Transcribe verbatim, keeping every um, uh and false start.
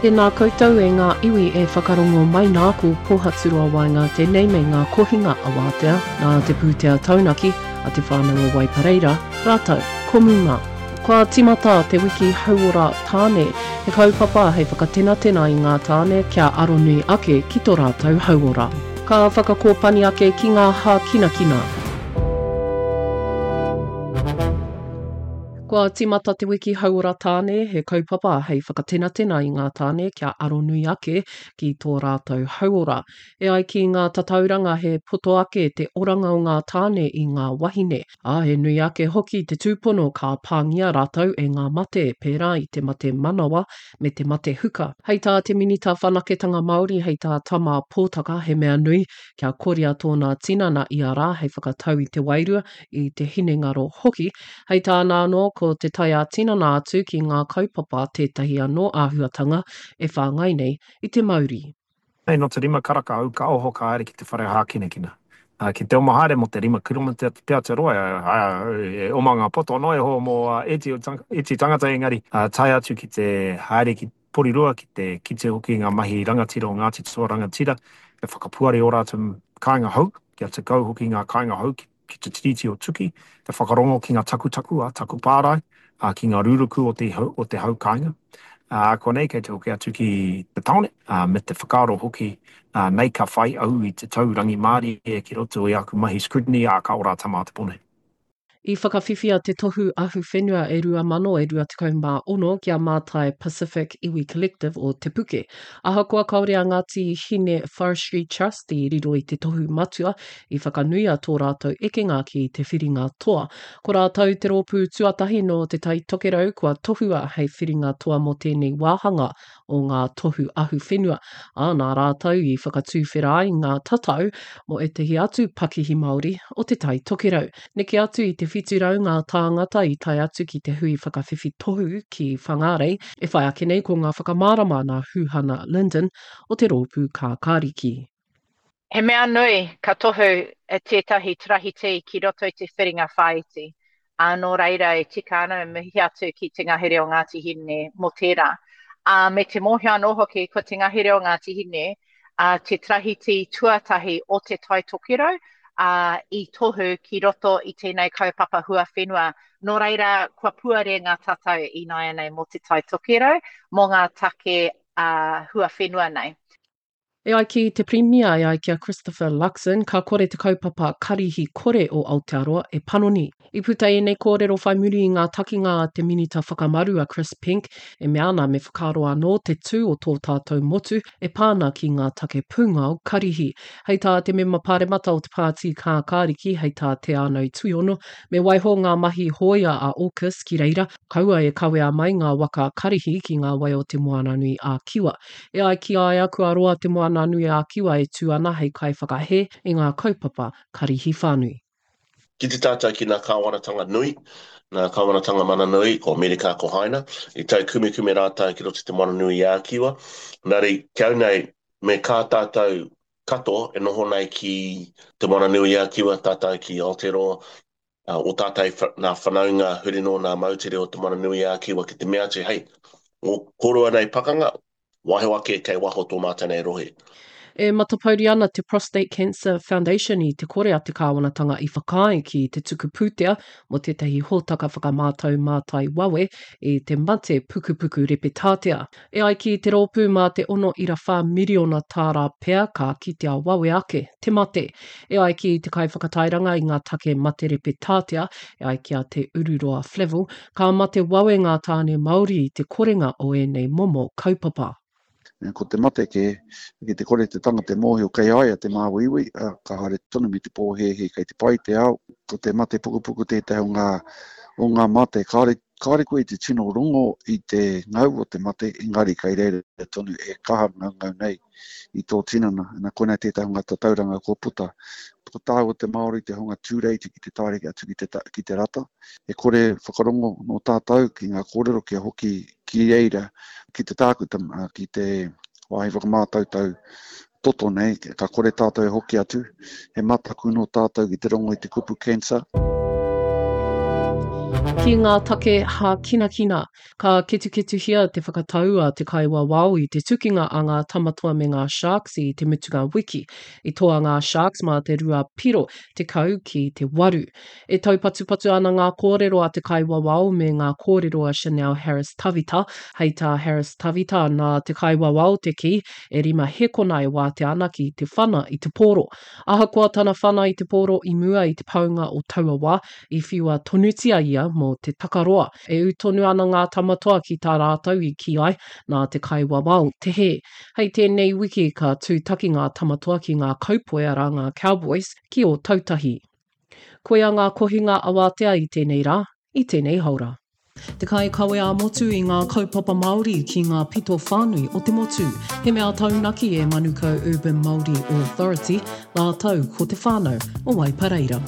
Tēnā koutou e ngā iwi e whakarongo mai nā ko Pōhaturoa Waenga tēnei me ngā kohinga awātea nā te pūtea taunaki a te whānau o Waipareira, rātou ko Muma. Kua tīmata te wiki hauora tāne, he kaupapa hei whakatenatena i ngā tāne kia aronui ake ki tō rātou hauora. Ka whakakōpani ake ki ngā hākinakina. Kua tīmata te wiki hauora tāne, he kaupapa hei whakatenatena i ngā tāne kia aronui ake ki tō rātou hauora. E ai ki ngā tatauranga he poto ake te oranga o ngā tāne i ngā wahine, ā, he nui ake hoki te tūpono ka pāngia rātou e ngā mate pērā i te mate manawa me te mate huka. Hei tā te Minita Whanaketanga Māori, hei tā Tama Pōtaka, he mea nui kia koria tōna tinana ia rā hei whakatau i te wairua, i te hinengaro hoki. Hei tāna anō, ko te tae ā-tinana atu ki ngā kaupapa tētahi anō āhuatanga e whāngai nei i te mauri. Nei nō te rima karaka au ka oho ka haere ki te whare hākinakina. Ki te oma haere mō te rima kiromita pea te roa, e oma ngā poto noa iho mō ētehi tangata engari tae atu ki te haere ki Porirua ki te kite hoki i ngā mahi rangatira o Ngāti Toa Rangatira e whakapuare ō rātou kāinga hou, kia tekau hoki ngā kāinga hou ki ki te Tiriti o Tuki, te whakarongo ki ngā takutaku a taku pārae, ā, ki ngā ruruku o te, o te hau kāinga. Ā, konei kei te hoki atu ki te tāone, ā, me te whakaaro hoki, ā, nei ka whai au i te tau rangimārie ki roto i aku mahi scrutiny, ā, ka ora a Tama a te Pone. I whakawhiwhia te tohu ahuwhenua e rua mano e rua tekau mā ono ki a Mātai Pacific Iwi Collective o Te Puke. Ahakoa kāore a Ngāti Hine Forestry Trust i riro i te tohu matua, i whakanuia tō rātou ekenga ki te whiringa toa. Ko rātou te rōpū tuatahi nō Te Tai Tokerau kua tohua hei whiringa toa mō tēnei wāhanga o ngā tohu ahuwhenua, ā, nā rātou i whakatuwhera ai ngā tatau mō ētahi atu pakihi Māori o Te Tai Tokerau. Neke atu i te whitu rau ngā tāngata i tae atu ki te hui whakawhiwhi tohu ki Whangārei, e whai ake nei ko ngā whakamārama nā Huhana Lyndon o te Rōpū Kākāriki. He mea nui ka tohu tētahi tarahiti ki roto i te whiringa whāiti, ā, nō reira e tika ana e mihi atu ki te ngahere o Ngāti Hine mō tērā. Ā, me te mōhio anō hoki ko te ngahere o Ngāti Hine ā, te tarahiti tuatahi o Te Tai Tokerau, ā, i tohu ki roto i tēnei kaupapa huawhenua. Nō reira, kua puare ngā tatau ināianei mō Te Tai Tokerau, mō ngā take ā, huawhenua nei. E ai ki te Pirimia, e ai ki a Christopher Luxon, ka kore te kaupapa karihi kore o Aotearoa e panoni. I puta ēnei kōrero whai muri i ngā takinga a te Minita Whakamaru a Chris Penk e mea ana me whakaaro anō te tū o tō tātou motu e pā ana ki ngā take pūngao karihi. Hei tā te mema pāremata o te Pāti Kākāriki, hei tā Te Ānau Tuiono, me waiho ngā mahi hōia a AUKUS ki reira, kaua e kawea mai ngā waka karihi ki ngā wai o Te Moananui-a-Kiwa. E ai ki a ia, kua roa Te Moananui-a-Kiwa e tū ana hei kaiwhakahē i ngā kaupapa karihi whānui. Ki te tātai ki ngā kāwanatanga nui, ngā kāwanatanga mana nui, ko Amerika, ko Haina, i taukumekume rātou ki roto i Te Moananui-a-Kiwa. Nā reira, ki au nei, me kā tātou katoa e noho nei ki Te Moananui-a-Kiwa, tātou ki Aotearoa, ō tātou nā whanaunga huri noa nā moutere o Te Moananui-a-Kiwa ki te mea atu, hei, ō kōrua nei pakanga, waiho ake kei waho tō mātou nei rohe. E matapouri ana te Prostate Cancer Foundation i te kore a te kāwanatanga i whakaae ki te tuku pūtea mō tētahi hōtaka whakamātau mātai wawe i te mate pukupuku repetātea. E ai ki te rōpū mā te ono ira whā miriona tāra pea ka kitea wawe ake te mate. E ai ki te kaiwhakatairanga i ngā take mate repetātea, e ai ki a Te Ururoa Flavell, ka mate wawe ngā tāne Māori i te korenga o ēnei momo kaupapa. Ko te mate kē, ki te kore te tangata e mōhio kei a ia te māuiui, ka haere tonu me te pōhēhē kei te pai te ao. Ko te mate pukupuku tētahi o ngā, o ngā mate. Kāore, kāore koe i te tino rongo i te ngau o te mate, engari kei reira tonu e kaha ngaungau nei i tō tinana. Na, koinā tētahi o ngā tatauranga kua puta. Ko tāua te Māori te hunga tūreiti ki te taere atu ki te, ki te rata. E kore whakarongo nō tātou ki ngā kōrero kia hoki ki reira, ki te tākuta, ki te wāhi whakamātautau toto nei, ka kore tātou e hoki atu. He mataku nō tātou ki te rongo i te kupu cancer. Ki ngā take hākinakina, ka ketuketuhia te whakatau a te kaiwawao i te tukinga a ngā Tamatoa me ngā Sharks i te mutunga wiki. I toa ngā Sharks mā te rua piro tekau ki te waru. E taupatupatu ana ngā kōrero a te kaiwawao me ngā kōrero a Chanel Harris-Tavita. Hei tā Harris-Tavita, nā te kaiwawao te kī, e rima hēkona e wātea ana ki te whana i te pōro. Ahakoa tana whana i te pōro i mua i te paunga o taua wā, i whiua tonutia ia mō te takaroa. E ū tonu ana ngā Tamatoa ki tā rātou i kī ai, nā te kaiwawao te hē. Hei tēnei wiki ka tūtaki ngā Tamatoa ki ngā Kaupoi arā ngā Cowboys ki Ōtautahi. Koia ngā kohinga awātea i tēnei rā, i tēnei haora. Te kaikawe ā-motu i ngā kaupapa Māori ki ngā pito whānui o te motu. He mea taunaki e Manukau Urban Māori Authority rātou ko te whānau o Waipareira.